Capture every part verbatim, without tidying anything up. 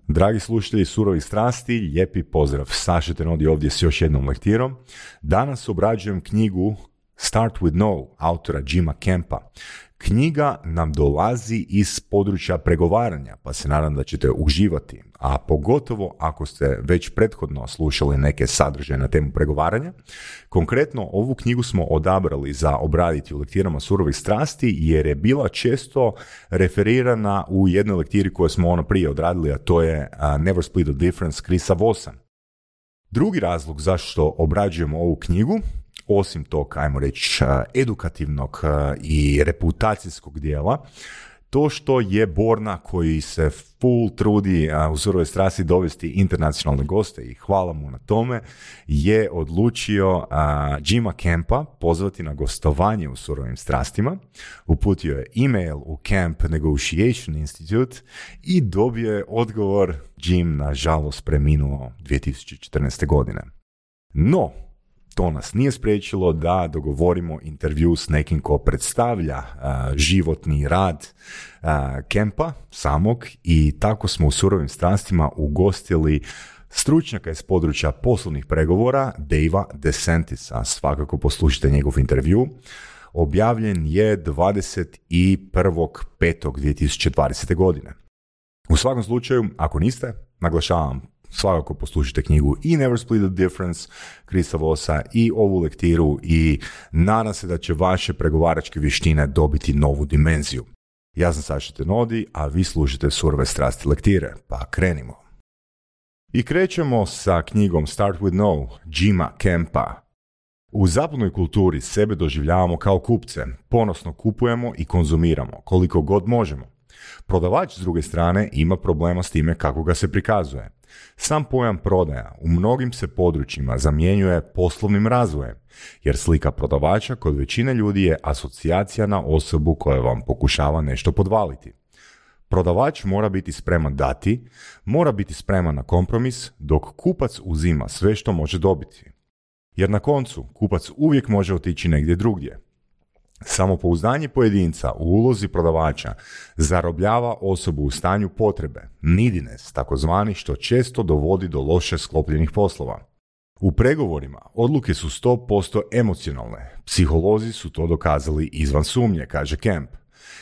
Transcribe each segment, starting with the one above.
Dragi slušatelji Surovih strasti, lijepi pozdrav. Saša Tenodi ovdje s još jednom lektirom. Danas obrađujem knjigu Start with No, autora Jima Kempa. Knjiga nam dolazi iz područja pregovaranja, pa se nadam da ćete uživati, a pogotovo ako ste već prethodno slušali neke sadržaje na temu pregovaranja. Konkretno, ovu knjigu smo odabrali za obraditi u lektirama Surovih strasti, jer je bila često referirana u jednoj lektiri koju smo ono prije odradili, a to je uh, Never Split the Difference Chrisa Vossa. Drugi razlog zašto obrađujemo ovu knjigu, osim tog, ajmo reći, edukativnog i reputacijskog dijela, to što je Borna, koji se full trudi u Surove strasti dovesti internacionalne goste i hvala mu na tome, je odlučio uh, Jima Kempa pozvati na gostovanje u Surovim strastima. Uputio je email u Camp Negotiation Institute i dobio je odgovor. Jim, nažalost, preminuo dvije tisuće četrnaeste. godine. No, to nas nije spriječilo da dogovorimo intervju s nekim ko predstavlja uh, životni rad uh, Kempa samog, i tako smo u Surovim strastima ugostili stručnjaka iz područja poslovnih pregovora, Davea DeSantisa. Svakako poslušajte njegov intervju. Objavljen je dvadeset prvog petog dvije tisuće dvadesete. godine. U svakom slučaju, ako niste, naglašavam, svakako poslušajte knjigu i Never Split the Difference Chrisa Vossa i ovu lektiru, i nadam se da će vaše pregovaračke vještine dobiti novu dimenziju. Ja sam Saša Tenodi, a vi slušate Surove strasti lektire, pa krenimo. I krećemo sa knjigom Start with No, Jima Kempa. U zapadnoj kulturi sebe doživljavamo kao kupce, ponosno kupujemo i konzumiramo koliko god možemo. Prodavač, s druge strane, ima problema s time kako ga se prikazuje. Sam pojam prodaja u mnogim se područjima zamjenjuje poslovnim razvojem, jer slika prodavača kod većine ljudi je asocijacija na osobu koja vam pokušava nešto podvaliti. Prodavač mora biti spreman dati, mora biti spreman na kompromis, dok kupac uzima sve što može dobiti. Jer na koncu kupac uvijek može otići negdje drugdje. Samopouzdanje pojedinca u ulozi prodavača zarobljava osobu u stanju potrebe, neediness, takozvani, što često dovodi do loše sklopljenih poslova. U pregovorima odluke su sto posto emocionalne. Psiholozi su to dokazali izvan sumnje, kaže Kemp.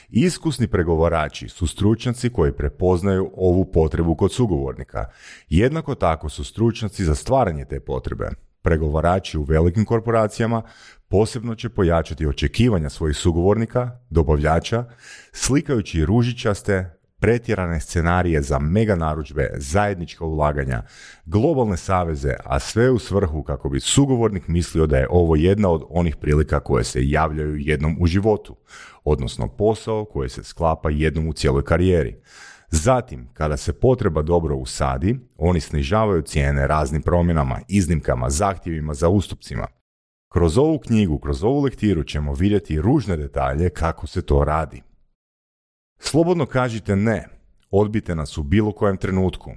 Iskusni pregovarači su stručnjaci koji prepoznaju ovu potrebu kod sugovornika. Jednako tako su stručnjaci za stvaranje te potrebe. Pregovarači u velikim korporacijama posebno će pojačati očekivanja svojih sugovornika, dobavljača, slikajući ružičaste, pretjerane scenarije za mega narudžbe, zajednička ulaganja, globalne saveze, a sve u svrhu kako bi sugovornik mislio da je ovo jedna od onih prilika koje se javljaju jednom u životu, odnosno posao koji se sklapa jednom u cijeloj karijeri. Zatim, kada se potreba dobro usadi, oni snižavaju cijene raznim promjenama, iznimkama, zahtjevima za ustupcima. Kroz ovu knjigu, kroz ovu lektiru ćemo vidjeti ružne detalje kako se to radi. Slobodno kažite ne, odbijte nas u bilo kojem trenutku.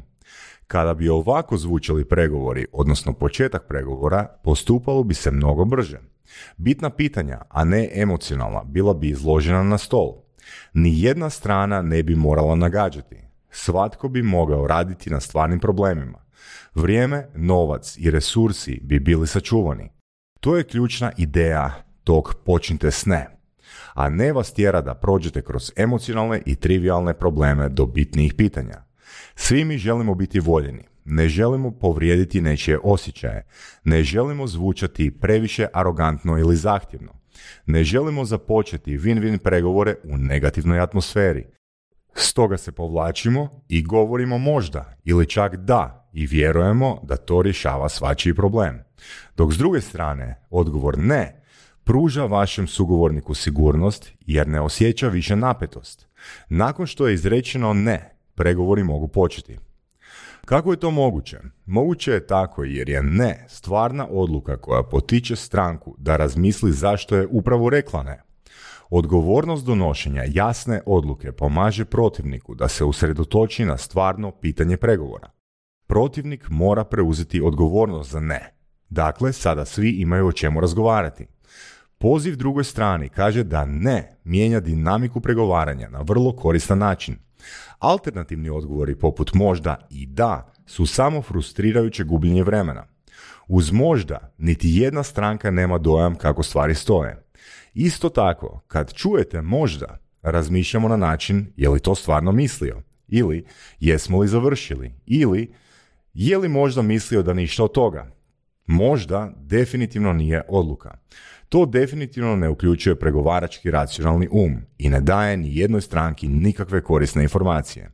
Kada bi ovako zvučali pregovori, odnosno početak pregovora, postupalo bi se mnogo brže. Bitna pitanja, a ne emocionalna, bila bi izložena na stol. Ni jedna strana ne bi morala nagađati. Svatko bi mogao raditi na stvarnim problemima. Vrijeme, novac i resursi bi bili sačuvani. To je ključna ideja tog počnite s ne. A ne vas tjera da prođete kroz emocionalne i trivialne probleme do bitnijih pitanja. Svi mi želimo biti voljeni. Ne želimo povrijediti nečije osjećaje. Ne želimo zvučati previše arogantno ili zahtjevno. Ne želimo započeti win-win pregovore u negativnoj atmosferi. Stoga se povlačimo i govorimo možda ili čak da i vjerujemo da to rješava svačiji problem. Dok s druge strane, odgovor ne pruža vašem sugovorniku sigurnost jer ne osjeća više napetost. Nakon što je izrečeno ne, pregovori mogu početi. Kako je to moguće? Moguće je tako jer je ne stvarna odluka koja potiče stranku da razmisli zašto je upravo rekla ne. Odgovornost donošenja jasne odluke pomaže protivniku da se usredotoči na stvarno pitanje pregovora. Protivnik mora preuzeti odgovornost za ne. Dakle, sada svi imaju o čemu razgovarati. Poziv drugoj strani kaže da ne mijenja dinamiku pregovaranja na vrlo koristan način. Alternativni odgovori poput možda i da su samo frustrirajuće gubljenje vremena. Uz možda niti jedna stranka nema dojam kako stvari stoje. Isto tako, kad čujete možda, razmišljamo na način je li to stvarno mislio, ili jesmo li završili, ili je li možda mislio da ništa od toga. Možda definitivno nije odluka. To definitivno ne uključuje pregovarački racionalni um i ne daje ni jednoj stranki nikakve korisne informacije.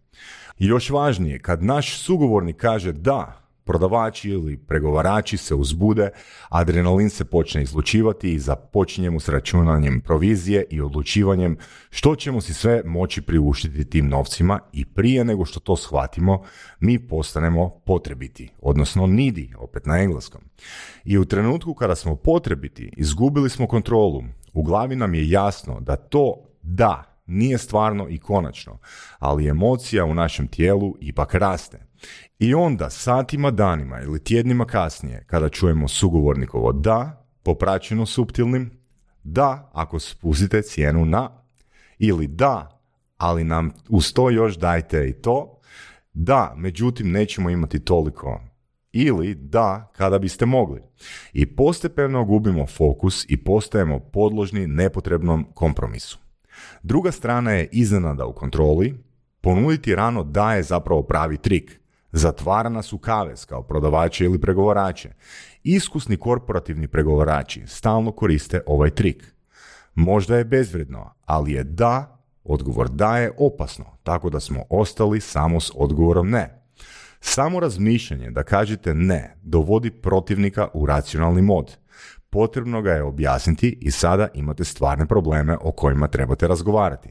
I još važnije, kad naš sugovornik kaže da, prodavači ili pregovarači se uzbude, adrenalin se počne izlučivati i započinjemo s računanjem provizije i odlučivanjem što ćemo si sve moći priuštiti tim novcima i prije nego što to shvatimo, mi postanemo potrebiti, odnosno needy, opet na engleskom. I u trenutku kada smo potrebiti, izgubili smo kontrolu. U glavi nam je jasno da to da nije stvarno i konačno, ali emocija u našem tijelu ipak raste. I onda satima, danima ili tjednima kasnije, kada čujemo sugovornikovo da, popraćeno suptilnim, da ako spustite cijenu na, ili da, ali nam uz to još dajte i to, da, međutim nećemo imati toliko, ili da, kada biste mogli. I postepeno gubimo fokus i postajemo podložni nepotrebnom kompromisu. Druga strana je iznenada u kontroli, ponuditi rano da je zapravo pravi trik. Zatvara nas u kavez kao prodavače ili pregovarače. Iskusni korporativni pregovarači stalno koriste ovaj trik. Možda je bezvredno, ali je da, odgovor da je opasno, tako da smo ostali samo s odgovorom ne. Samo razmišljanje da kažete ne dovodi protivnika u racionalni mod. Potrebno ga je objasniti i sada imate stvarne probleme o kojima trebate razgovarati.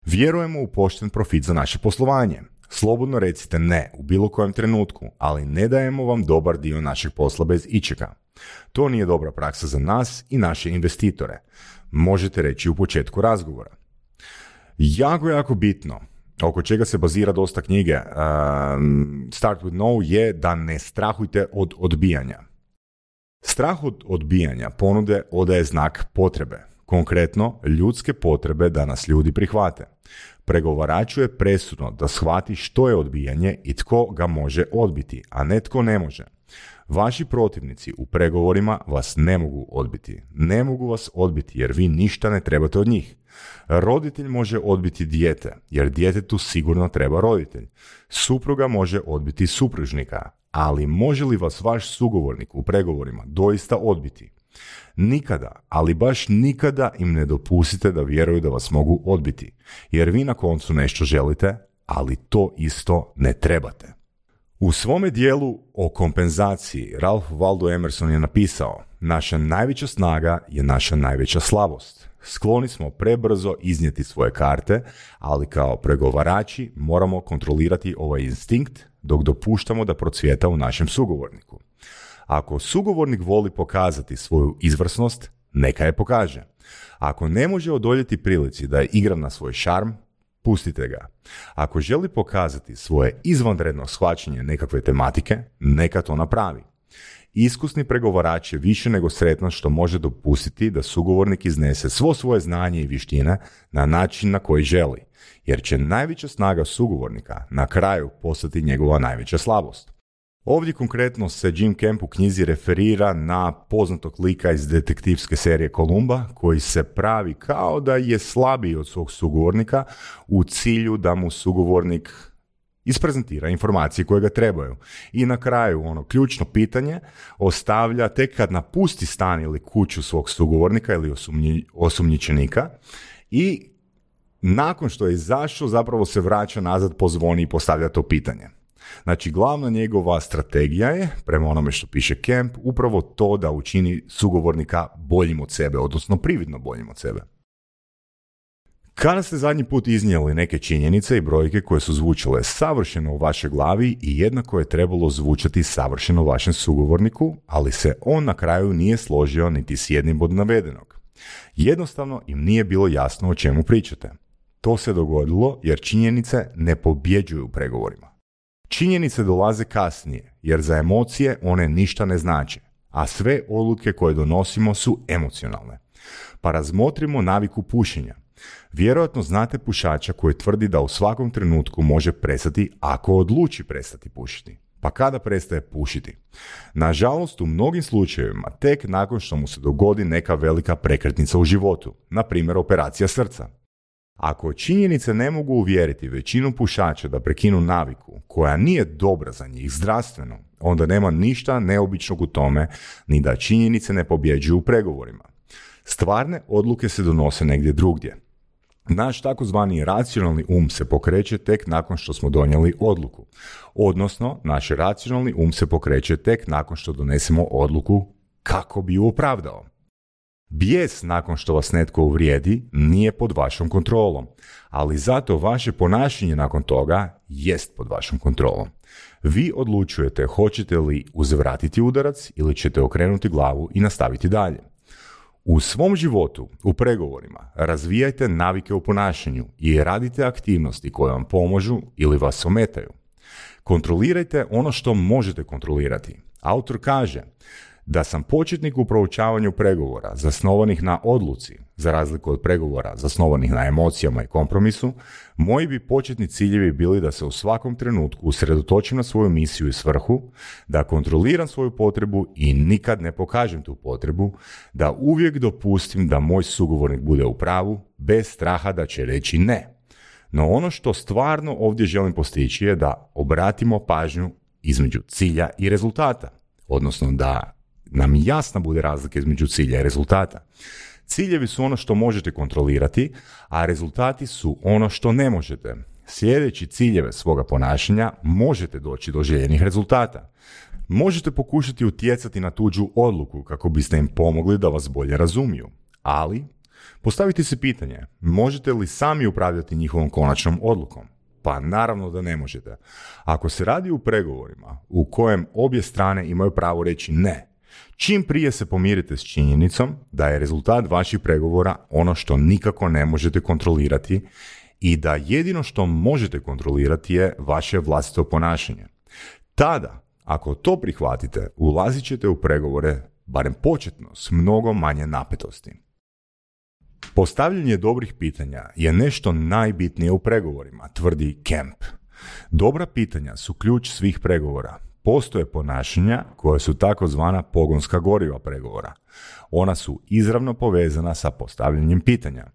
Vjerujemo u pošten profit za naše poslovanje. Slobodno recite ne u bilo kojem trenutku, ali ne dajemo vam dobar dio našeg posla bez ičega. To nije dobra praksa za nas i naše investitore. Možete reći u početku razgovora. Jako, jako bitno, oko čega se bazira dosta knjige um, Start with No je da ne strahujte od odbijanja. Strah od odbijanja ponude odaje znak potrebe. Konkretno, ljudske potrebe da nas ljudi prihvate. Pregovaraču je presudno da shvati što je odbijanje i tko ga može odbiti, a ne tko ne može. Vaši protivnici u pregovorima vas ne mogu odbiti. Ne mogu vas odbiti jer vi ništa ne trebate od njih. Roditelj može odbiti dijete, jer djetetu sigurno treba roditelj. Supruga može odbiti supružnika, ali može li vas vaš sugovornik u pregovorima doista odbiti? Nikada, ali baš nikada im ne dopustite da vjeruju da vas mogu odbiti, jer vi na koncu nešto želite, ali to isto ne trebate. U svome dijelu o kompenzaciji Ralph Waldo Emerson je napisao: naša najveća snaga je naša najveća slabost. Skloni smo prebrzo iznijeti svoje karte, ali kao pregovarači moramo kontrolirati ovaj instinkt dok dopuštamo da procvjeta u našem sugovorniku. Ako sugovornik voli pokazati svoju izvrsnost, neka je pokaže. Ako ne može odoljeti prilici da je igra na svoj šarm, pustite ga. Ako želi pokazati svoje izvanredno shvaćanje nekakve tematike, neka to napravi. Iskusni pregovarač je više nego sretan što može dopustiti da sugovornik iznese svo svoje znanje i vještine na način na koji želi, jer će najveća snaga sugovornika na kraju postati njegova najveća slabost. Ovdje konkretno se Jim Camp u knjizi referira na poznatog lika iz detektivske serije Kolumba, koji se pravi kao da je slabiji od svog sugovornika u cilju da mu sugovornik isprezentira informacije koje ga trebaju. I na kraju ono ključno pitanje ostavlja tek kad napusti stan ili kuću svog sugovornika ili osumnji, osumnjičenika i nakon što je izašao zapravo se vraća nazad, pozvoni i postavlja to pitanje. Znači, glavna njegova strategija je, prema onome što piše Camp, upravo to da učini sugovornika boljim od sebe, odnosno prividno boljim od sebe. Kada ste zadnji put iznijeli neke činjenice i brojke koje su zvučale savršeno u vašoj glavi i jednako je trebalo zvučati savršeno vašem sugovorniku, ali se on na kraju nije složio niti s jednim od navedenog. Jednostavno im nije bilo jasno o čemu pričate. To se dogodilo jer činjenice ne pobjeđuju u pregovorima. Činjenice dolaze kasnije, jer za emocije one ništa ne znače, a sve odluke koje donosimo su emocionalne. Pa razmotrimo naviku pušenja. Vjerojatno znate pušača koji tvrdi da u svakom trenutku može prestati ako odluči prestati pušiti. Pa kada prestaje pušiti? Nažalost, u mnogim slučajevima tek nakon što mu se dogodi neka velika prekretnica u životu, na primjer operacija srca. Ako činjenice ne mogu uvjeriti većinu pušača da prekinu naviku, koja nije dobra za njih zdravstveno, onda nema ništa neobičnog u tome, ni da činjenice ne pobjeđuju u pregovorima. Stvarne odluke se donose negdje drugdje. Naš takozvani racionalni um se pokreće tek nakon što smo donijeli odluku. Odnosno, naš racionalni um se pokreće tek nakon što donesemo odluku kako bi ju opravdao. Bijes nakon što vas netko uvrijedi nije pod vašom kontrolom, ali zato vaše ponašanje nakon toga jest pod vašom kontrolom. Vi odlučujete hoćete li uzvratiti udarac ili ćete okrenuti glavu i nastaviti dalje. U svom životu, u pregovorima, razvijajte navike u ponašanju i radite aktivnosti koje vam pomažu ili vas ometaju. Kontrolirajte ono što možete kontrolirati. Autor kaže da sam početnik u proučavanju pregovora zasnovanih na odluci, za razliku od pregovora zasnovanih na emocijama i kompromisu, moji bi početni ciljevi bili da se u svakom trenutku usredotočim na svoju misiju i svrhu, da kontroliram svoju potrebu i nikad ne pokažem tu potrebu, da uvijek dopustim da moj sugovornik bude u pravu, bez straha da će reći ne. No ono što stvarno ovdje želim postići je da obratimo pažnju između cilja i rezultata, odnosno da nam jasna bude razlika između cilja i rezultata. Ciljevi su ono što možete kontrolirati, a rezultati su ono što ne možete. Sljedeći ciljeve svoga ponašanja možete doći do željenih rezultata. Možete pokušati utjecati na tuđu odluku kako biste im pomogli da vas bolje razumiju. Ali, postavite se pitanje, možete li sami upravljati njihovom konačnom odlukom? Pa naravno da ne možete. Ako se radi u pregovorima u kojem obje strane imaju pravo reći ne, čim prije se pomirite s činjenicom da je rezultat vaših pregovora ono što nikako ne možete kontrolirati i da jedino što možete kontrolirati je vaše vlastito ponašanje. Tada, ako to prihvatite, ulazit ćete u pregovore, barem početno, s mnogo manje napetosti. Postavljanje dobrih pitanja je nešto najbitnije u pregovorima, tvrdi Kemp. Dobra pitanja su ključ svih pregovora. Postoje ponašanja koje su takozvana pogonska goriva pregovora. Ona su izravno povezana sa postavljanjem pitanja.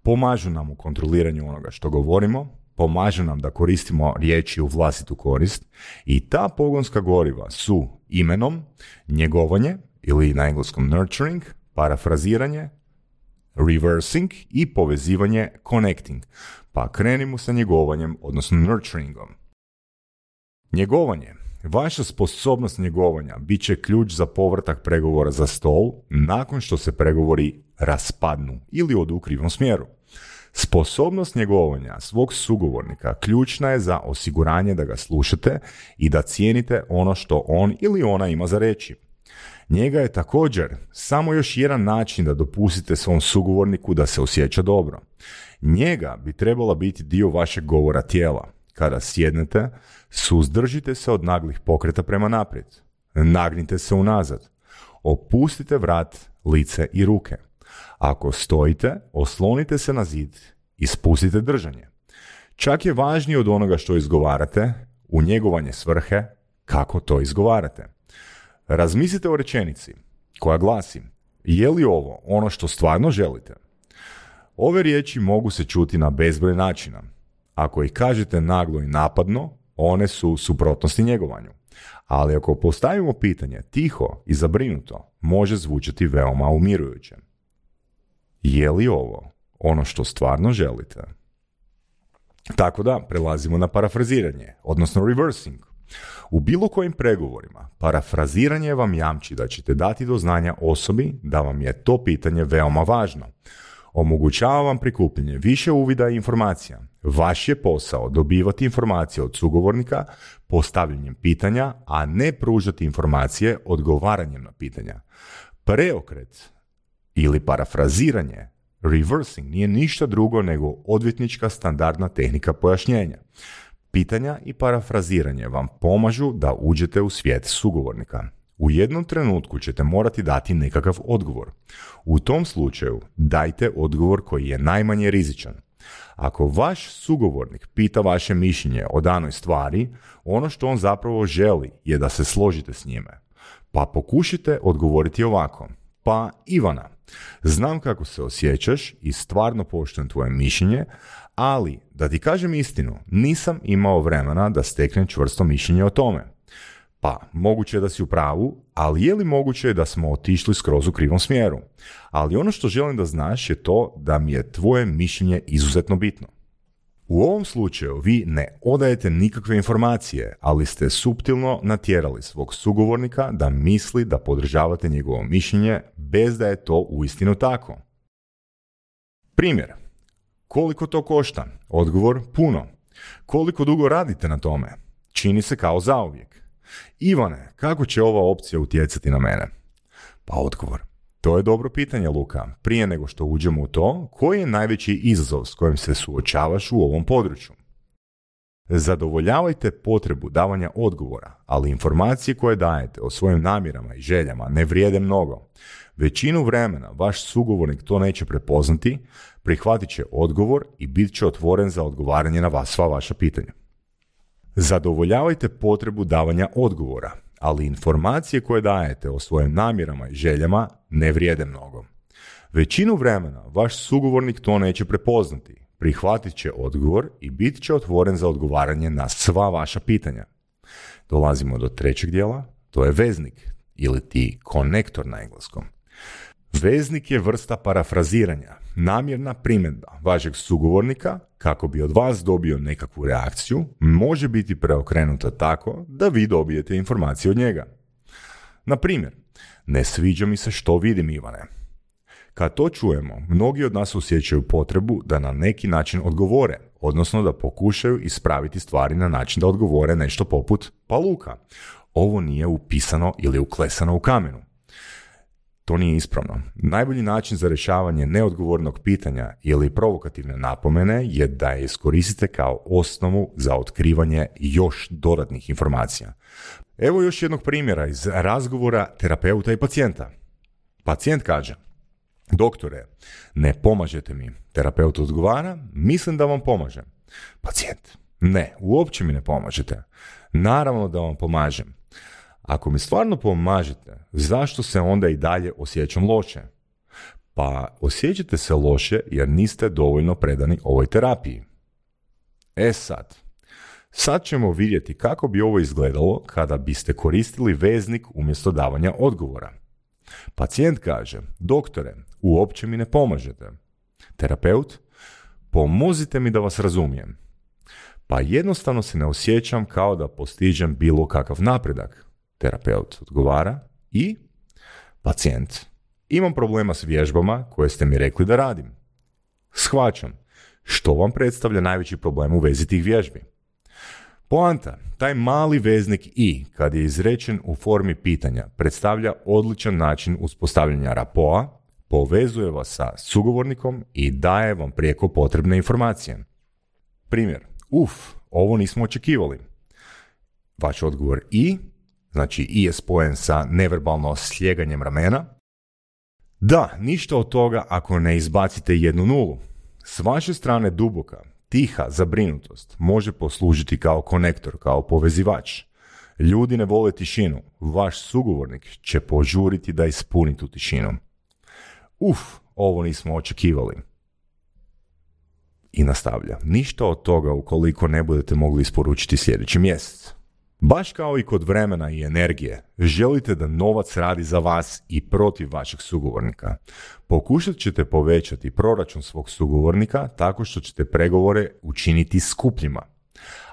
Pomažu nam u kontroliranju onoga što govorimo, pomažu nam da koristimo riječi u vlastitu korist i ta pogonska goriva su imenom, njegovanje ili na engleskom nurturing, parafraziranje, reversing i povezivanje connecting. Pa krenimo sa njegovanjem, odnosno nurturingom. Njegovanje. Vaša sposobnost njegovanja bit će ključ za povratak pregovora za stol nakon što se pregovori raspadnu ili odu u krivom smjeru. Sposobnost njegovanja svog sugovornika ključna je za osiguranje da ga slušate i da cijenite ono što on ili ona ima za reći. Njega je također samo još jedan način da dopustite svom sugovorniku da se osjeća dobro. Njega bi trebala biti dio vašeg govora tijela. Kada sjednete, suzdržite se od naglih pokreta prema naprijed. Nagnite se unazad. Opustite vrat, lice i ruke. Ako stojite, oslonite se na zid i spustite držanje. Čak je važnije od onoga što izgovarate, u njegovanje svrhe, kako to izgovarate. Razmislite o rečenici koja glasi: je li ovo ono što stvarno želite? Ove riječi mogu se čuti na bezbroj načina. Ako ih kažete naglo i napadno, one su u suprotnosti njegovanju. Ali ako postavimo pitanje tiho i zabrinuto, može zvučati veoma umirujuće. Je li ovo ono što stvarno želite? Tako da, prelazimo na parafraziranje, odnosno reversing. U bilo kojim pregovorima, parafraziranje vam jamči da ćete dati do znanja osobi da vam je to pitanje veoma važno. Omogućava vam prikupljanje više uvida i informacija. Vaš je posao dobivati informacije od sugovornika postavljanjem pitanja, a ne pružati informacije odgovaranjem na pitanja. Preokret ili parafraziranje, reversing, nije ništa drugo nego odvjetnička standardna tehnika pojašnjenja. Pitanja i parafraziranje vam pomažu da uđete u svijet sugovornika. U jednom trenutku ćete morati dati nekakav odgovor. U tom slučaju dajte odgovor koji je najmanje rizičan. Ako vaš sugovornik pita vaše mišljenje o danoj stvari, ono što on zapravo želi je da se složite s njime. Pa pokušajte odgovoriti ovako. Pa Ivana, znam kako se osjećaš i stvarno poštujem tvoje mišljenje, ali da ti kažem istinu, nisam imao vremena da steknem čvrsto mišljenje o tome. Pa, moguće je da si u pravu, ali je li moguće da smo otišli skroz u krivom smjeru? Ali ono što želim da znaš je to da mi je tvoje mišljenje izuzetno bitno. U ovom slučaju vi ne odajete nikakve informacije, ali ste suptilno natjerali svog sugovornika da misli da podržavate njegovo mišljenje bez da je to uistinu tako. Primjer. Koliko to košta? Odgovor, puno. Koliko dugo radite na tome? Čini se kao zauvijek. Ivane, kako će ova opcija utjecati na mene? Pa odgovor. To je dobro pitanje, Luka. Prije nego što uđemo u to, koji je najveći izazov s kojim se suočavaš u ovom području? Zadovoljavajte potrebu davanja odgovora, ali informacije koje dajete o svojim namjerama i željama ne vrijede mnogo. Većinu vremena vaš sugovornik to neće prepoznati, prihvatit će odgovor i bit će otvoren za odgovaranje na vas sva vaša pitanja. Zadovoljavajte potrebu davanja odgovora, ali informacije koje dajete o svojim namjerama i željama ne vrijede mnogo. Većinu vremena vaš sugovornik to neće prepoznati, prihvatit će odgovor i bit će otvoren za odgovaranje na sva vaša pitanja. Dolazimo do trećeg dijela, to je veznik ili ti konektor na engleskom. Veznik je vrsta parafraziranja, namjerna primjedba vašeg sugovornika kako bi od vas dobio nekakvu reakciju, može biti preokrenuta tako da vi dobijete informacije od njega. Na primjer, ne sviđa mi se što vidim, Ivane. Kad to čujemo, mnogi od nas osjećaju potrebu da na neki način odgovore, odnosno da pokušaju ispraviti stvari na način da odgovore nešto poput pa Luka, ovo nije upisano ili uklesano u kamenu. To nije ispravno. Najbolji način za rješavanje neodgovornog pitanja ili provokativne napomene je da je iskoristite kao osnovu za otkrivanje još dodatnih informacija. Evo još jednog primjera iz razgovora terapeuta i pacijenta. Pacijent kaže: doktore, ne pomažete mi. Terapeut odgovara: mislim da vam pomažem. Pacijent: ne, uopće mi ne pomažete. Naravno da vam pomažem. Ako mi stvarno pomažete, zašto se onda i dalje osjećam loše? Pa osjećate se loše jer niste dovoljno predani ovoj terapiji. E sad, sad ćemo vidjeti kako bi ovo izgledalo kada biste koristili veznik umjesto davanja odgovora. Pacijent kaže: doktore, uopće mi ne pomažete. Terapeut: pomozite mi da vas razumijem. Pa jednostavno se ne osjećam kao da postižem bilo kakav napredak. Terapeut odgovara: i? Pacijent: imam problema s vježbama koje ste mi rekli da radim. Shvaćam. Što vam predstavlja najveći problem u vezi tih vježbi? Poanta, taj mali veznik i, kad je izrečen u formi pitanja, predstavlja odličan način uspostavljanja rapoa, povezuje vas sa sugovornikom i daje vam prijeko potrebne informacije. Primjer: uf, ovo nismo očekivali. Vaš odgovor i, znači i je spojen sa neverbalno sljeganjem ramena. Da, ništa od toga ako ne izbacite jednu nulu. S vaše strane duboka, tiha zabrinutost može poslužiti kao konektor, kao povezivač. Ljudi ne vole tišinu, vaš sugovornik će požuriti da ispuni tu tišinu. Uf, ovo nismo očekivali. I nastavlja: ništa od toga ukoliko ne budete mogli isporučiti sljedeći mjesec. Baš kao i kod vremena i energije, želite da novac radi za vas i protiv vašeg sugovornika. Pokušat ćete povećati proračun svog sugovornika tako što ćete pregovore učiniti skupljima.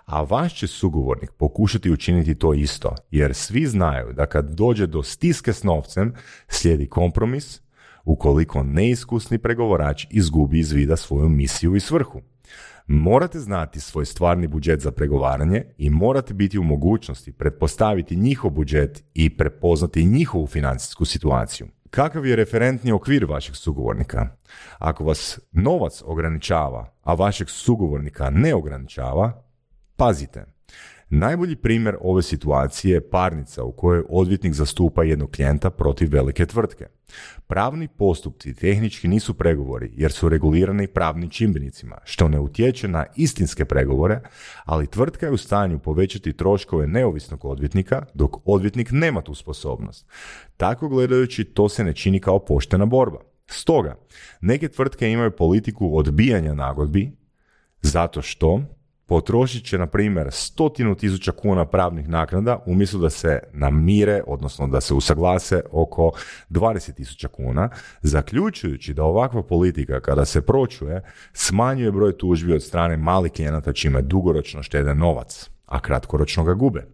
A vaš će sugovornik pokušati učiniti to isto, jer svi znaju da kad dođe do stiske s novcem, slijedi kompromis, ukoliko neiskusni pregovarač izgubi iz vida svoju misiju i svrhu. Morate znati svoj stvarni budžet za pregovaranje i morate biti u mogućnosti pretpostaviti njihov budžet i prepoznati njihovu financijsku situaciju. Kakav je referentni okvir vašeg sugovornika? Ako vas novac ograničava, a vašeg sugovornika ne ograničava, pazite. Najbolji primjer ove situacije je parnica u kojoj odvjetnik zastupa jednog klijenta protiv velike tvrtke. Pravni postupci tehnički nisu pregovori jer su regulirani pravnim čimbenicima, što ne utječe na istinske pregovore, ali tvrtka je u stanju povećati troškove neovisnog odvjetnika dok odvjetnik nema tu sposobnost. Tako gledajući, to se ne čini kao poštena borba. Stoga, neke tvrtke imaju politiku odbijanja nagodbi zato što potrošit će, na primjer, stotinu tisuća kuna pravnih naknada umjesto da se namire, odnosno da se usaglase oko dvadeset tisuća kuna, zaključujući da ovakva politika, kada se pročuje, smanjuje broj tužbi od strane malih klijenata čime dugoročno štede novac, a kratkoročno ga gube.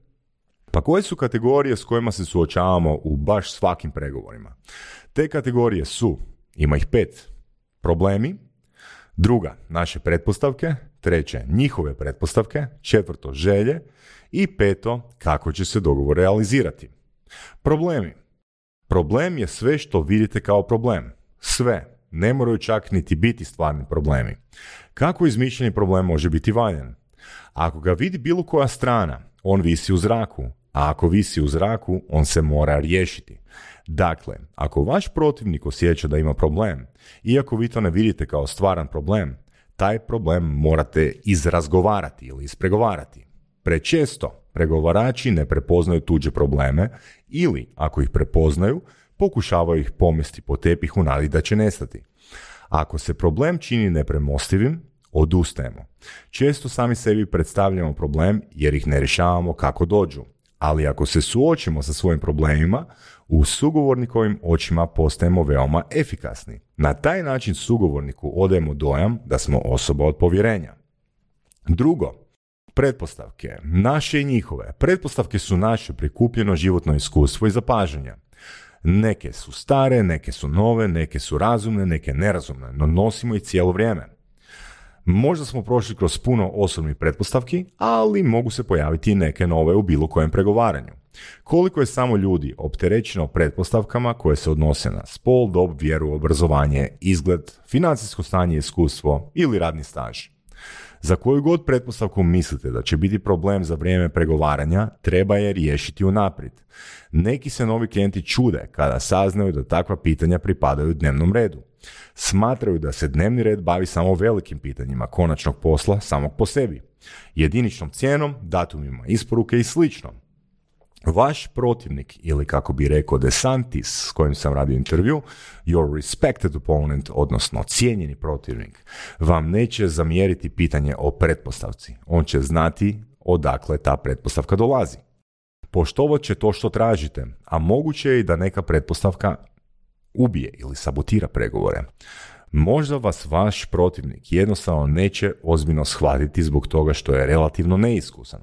Pa koje su kategorije s kojima se suočavamo u baš svakim pregovorima? Te kategorije su, ima ih pet, problemi, druga, naše pretpostavke, treće, njihove pretpostavke, četvrto, želje i peto, kako će se dogovor realizirati. Problemi. Problem je sve što vidite kao problem. Sve. Ne moraju čak niti biti stvarni problemi. Kako izmišljeni problem može biti valjan? Ako ga vidi bilo koja strana, on visi u zraku, a ako visi u zraku, on se mora riješiti. Dakle, ako vaš protivnik osjeća da ima problem, iako vi to ne vidite kao stvaran problem, taj problem morate izrazgovarati ili ispregovarati. Prečesto pregovarači ne prepoznaju tuđe probleme ili, ako ih prepoznaju, pokušavaju ih pomesti po tepih u nadi da će nestati. Ako se problem čini nepremostivim, odustajemo. Često sami sebi predstavljamo problem jer ih ne rješavamo kako dođu. Ali ako se suočimo sa svojim problemima, u sugovornikovim očima postajemo veoma efikasni. Na taj način sugovorniku odajemo dojam da smo osoba od povjerenja. Drugo, pretpostavke. Naše i njihove. Pretpostavke su naše prikupljeno životno iskustvo i zapažanja. Neke su stare, neke su nove, neke su razumne, neke nerazumne, no nosimo ih cijelo vrijeme. Možda smo prošli kroz puno osobnih pretpostavki, ali mogu se pojaviti i neke nove u bilo kojem pregovaranju. Koliko je samo ljudi opterećeno pretpostavkama koje se odnose na spol, dob, vjeru, obrazovanje, izgled, financijsko stanje, iskustvo ili radni staž. Za koju god pretpostavku mislite da će biti problem za vrijeme pregovaranja, treba je riješiti unaprijed. Neki se novi klijenti čude kada saznaju da takva pitanja pripadaju dnevnom redu. Smatraju da se dnevni red bavi samo velikim pitanjima konačnog posla samog po sebi, jediničnom cijenom, datumima isporuke i slično. Vaš protivnik, ili kako bi rekao DeSantis s kojim sam radio intervju, your respected opponent, odnosno cijenjeni protivnik, vam neće zamjeriti pitanje o pretpostavci. On će znati odakle ta pretpostavka dolazi. Poštovat će to što tražite, a moguće je i da neka pretpostavka ubije ili sabotira pregovore. Možda vas vaš protivnik jednostavno neće ozbiljno shvatiti zbog toga što je relativno neiskusan.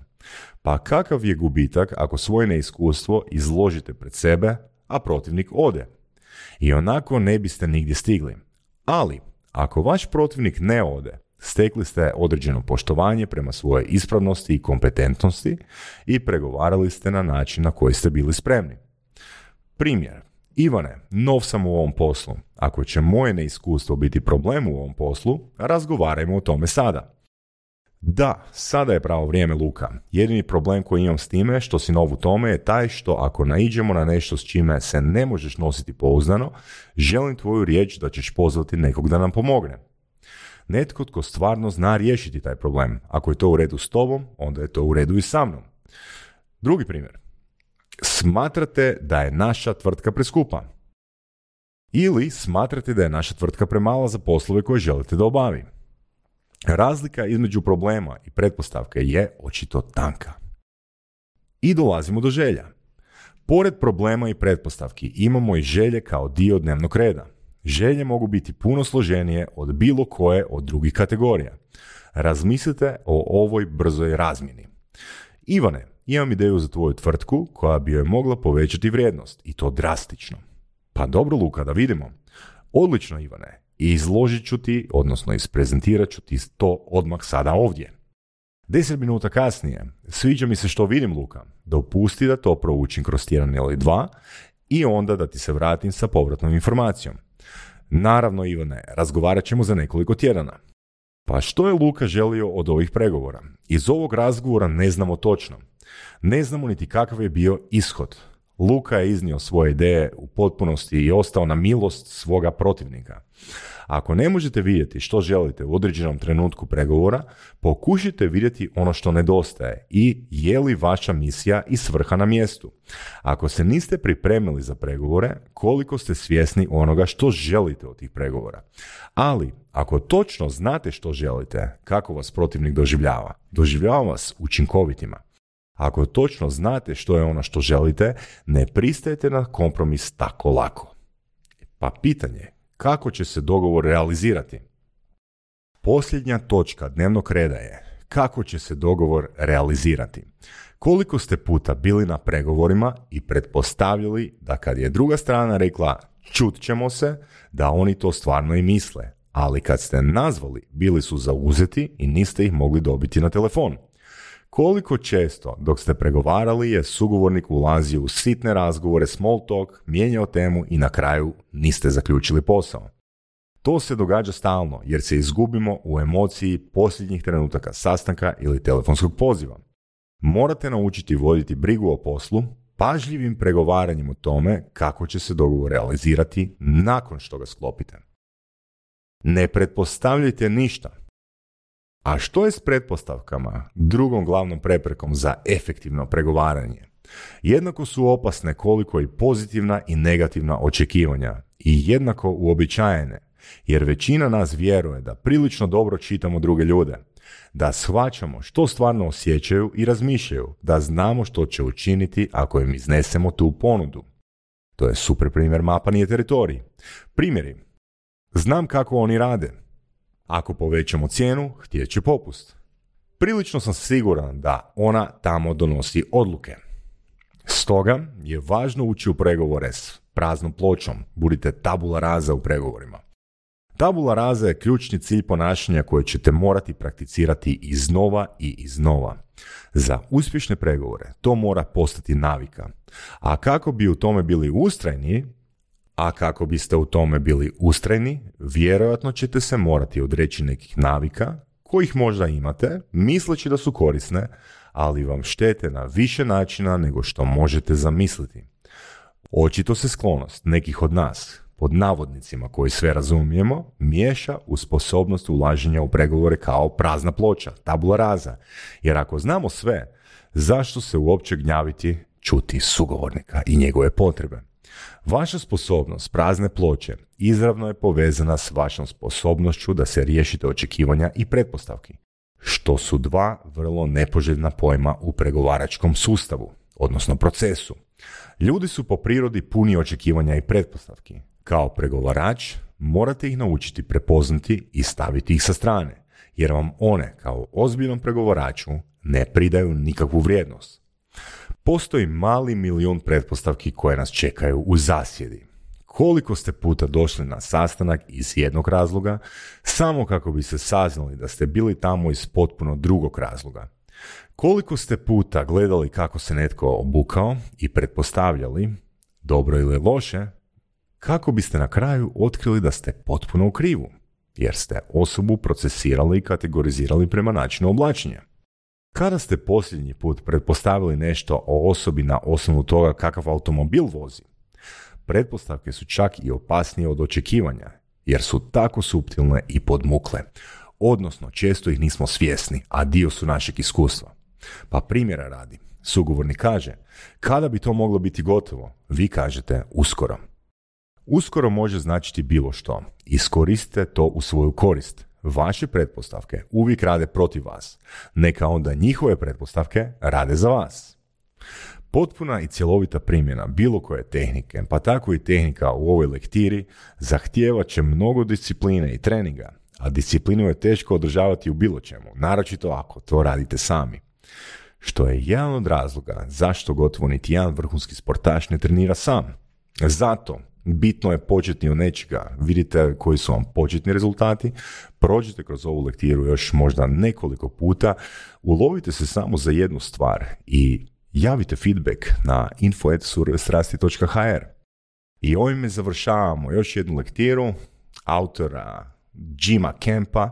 Pa kakav je gubitak ako svoje neiskustvo izložite pred sebe, a protivnik ode? I onako ne biste nigdje stigli. Ali, ako vaš protivnik ne ode, stekli ste određeno poštovanje prema svojoj ispravnosti i kompetentnosti i pregovarali ste na način na koji ste bili spremni. Primjer. Ivane, nov sam u ovom poslu. Ako će moje neiskustvo biti problem u ovom poslu, razgovarajmo o tome sada. Da, sada je pravo vrijeme, Luka. Jedini problem koji imam s time što si nov u tome je taj što ako naiđemo na nešto s čime se ne možeš nositi pouzdano, želim tvoju riječ da ćeš pozvati nekog da nam pomogne. Netko tko stvarno zna riješiti taj problem. Ako je to u redu s tobom, onda je to u redu i sa mnom. Drugi primjer. Smatrate da je naša tvrtka preskupa. Ili smatrate da je naša tvrtka premala za poslove koje želite da obavi. Razlika između problema i pretpostavke je očito tanka. I dolazimo do želja. Pored problema i pretpostavki imamo i želje kao dio dnevnog reda. Želje mogu biti puno složenije od bilo koje od drugih kategorija. Razmislite o ovoj brzoj razmjeni. Ivane, imam ideju za tvoju tvrtku koja bi joj mogla povećati vrijednost i to drastično. Pa dobro, Luka, da vidimo. Odlično, Ivane. I izložit ću ti, odnosno isprezentirat ću ti to odmah sada ovdje. Deset minuta kasnije, sviđa mi se što vidim, Luka. Dopusti da to proučim kroz tjedan ili dva i onda da ti se vratim sa povratnom informacijom. Naravno, Ivane, razgovarat ćemo za nekoliko tjedana. Pa što je Luka želio od ovih pregovora? Iz ovog razgovora ne znamo točno. Ne znamo niti kakav je bio ishod. Luka je iznio svoje ideje u potpunosti i ostao na milost svoga protivnika. Ako ne možete vidjeti što želite u određenom trenutku pregovora, pokušajte vidjeti ono što nedostaje i je li vaša misija i svrha na mjestu. Ako se niste pripremili za pregovore, koliko ste svjesni onoga što želite od tih pregovora. Ali, ako točno znate što želite, kako vas protivnik doživljava? Doživljava vas učinkovitima. Ako točno znate što je ono što želite, ne pristajete na kompromis tako lako. Pa pitanje, kako će se dogovor realizirati? Posljednja točka dnevnog reda je kako će se dogovor realizirati. Koliko ste puta bili na pregovorima i pretpostavljali da kad je druga strana rekla čut ćemo se, da oni to stvarno i misle, ali kad ste nazvali bili su zauzeti i niste ih mogli dobiti na telefon. Koliko često dok ste pregovarali je sugovornik ulazio u sitne razgovore, small talk, mijenjao temu i na kraju niste zaključili posao. To se događa stalno jer se izgubimo u emociji posljednjih trenutaka sastanka ili telefonskog poziva. Morate naučiti voditi brigu o poslu, pažljivim pregovaranjem o tome kako će se dogovor realizirati nakon što ga sklopite. Ne pretpostavljajte ništa. A što je s pretpostavkama, drugom glavnom preprekom za efektivno pregovaranje? Jednako su opasne koliko i pozitivna i negativna očekivanja i jednako uobičajene, jer većina nas vjeruje da prilično dobro čitamo druge ljude, da shvaćamo što stvarno osjećaju i razmišljaju, da znamo što će učiniti ako im iznesemo tu ponudu. To je super primjer mapanje teritorij. Primjeri. Znam kako oni rade. Ako povećamo cijenu, htjet će popust. Prilično sam siguran da ona tamo donosi odluke. Stoga je važno ući u pregovore s praznom pločom. Budite tabula rasa u pregovorima. Tabula rasa je ključni cilj ponašanja koje ćete morati prakticirati iznova i iznova. Za uspješne pregovore to mora postati navika. A kako bi u tome bili ustrajni, A kako biste u tome bili ustrajni, vjerojatno ćete se morati odreći nekih navika, kojih možda imate, misleći da su korisne, ali vam štete na više načina nego što možete zamisliti. Očito se sklonost nekih od nas, pod navodnicima koji sve razumijemo, miješa u sposobnost ulaženja u pregovore kao prazna ploča, tabula rasa. Jer ako znamo sve, zašto se uopće gnjaviti čuti sugovornika i njegove potrebe? Vaša sposobnost prazne ploče izravno je povezana s vašom sposobnošću da se riješite očekivanja i pretpostavki, što su dva vrlo nepoželjna pojma u pregovaračkom sustavu, odnosno procesu. Ljudi su po prirodi puni očekivanja i pretpostavki. Kao pregovarač morate ih naučiti prepoznati i staviti ih sa strane, jer vam one kao ozbiljnom pregovaraču ne pridaju nikakvu vrijednost. Postoji mali milijun pretpostavki koje nas čekaju u zasjedi. Koliko ste puta došli na sastanak iz jednog razloga, samo kako bi se saznali da ste bili tamo iz potpuno drugog razloga? Koliko ste puta gledali kako se netko obukao i pretpostavljali, dobro ili loše, kako biste na kraju otkrili da ste potpuno u krivu, jer ste osobu procesirali i kategorizirali prema načinu oblačenja? Kada ste posljednji put pretpostavili nešto o osobi na osnovu toga kakav automobil vozi? Pretpostavke su čak i opasnije od očekivanja, jer su tako suptilne i podmukle. Odnosno, često ih nismo svjesni, a dio su našeg iskustva. Pa primjera radi, sugovornik kaže, kada bi to moglo biti gotovo? Vi kažete, uskoro. Uskoro može značiti bilo što. Iskoristite to u svoju korist. Vaše pretpostavke uvijek rade protiv vas. Neka onda njihove pretpostavke rade za vas. Potpuna i cjelovita primjena bilo koje tehnike, pa tako i tehnika u ovoj lektiri, zahtijevat će mnogo discipline i treninga, a disciplinu je teško održavati u bilo čemu, naročito ako to radite sami. Što je jedan od razloga zašto gotovo niti jedan vrhunski sportaš ne trenira sam. Zato bitno je početi od nečega, vidite koji su vam početni rezultati, prođite kroz ovu lektiru još možda nekoliko puta, ulovite se samo za jednu stvar i javite feedback na info at surove strasti dot h r. I ovime završavamo još jednu lektiru autora Jima Kempa.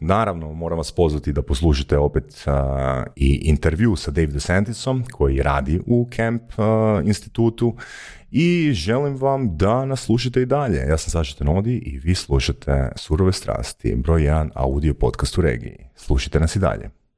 Naravno, moram vas pozvati da poslušate opet uh, i intervju sa Dave DeSantisom koji radi u Camp uh, institutu i želim vam da nas slušate i dalje. Ja sam Saša Tenodi i vi slušate Surove strasti, broj jedan audio podcast u regiji. Slušajte nas i dalje.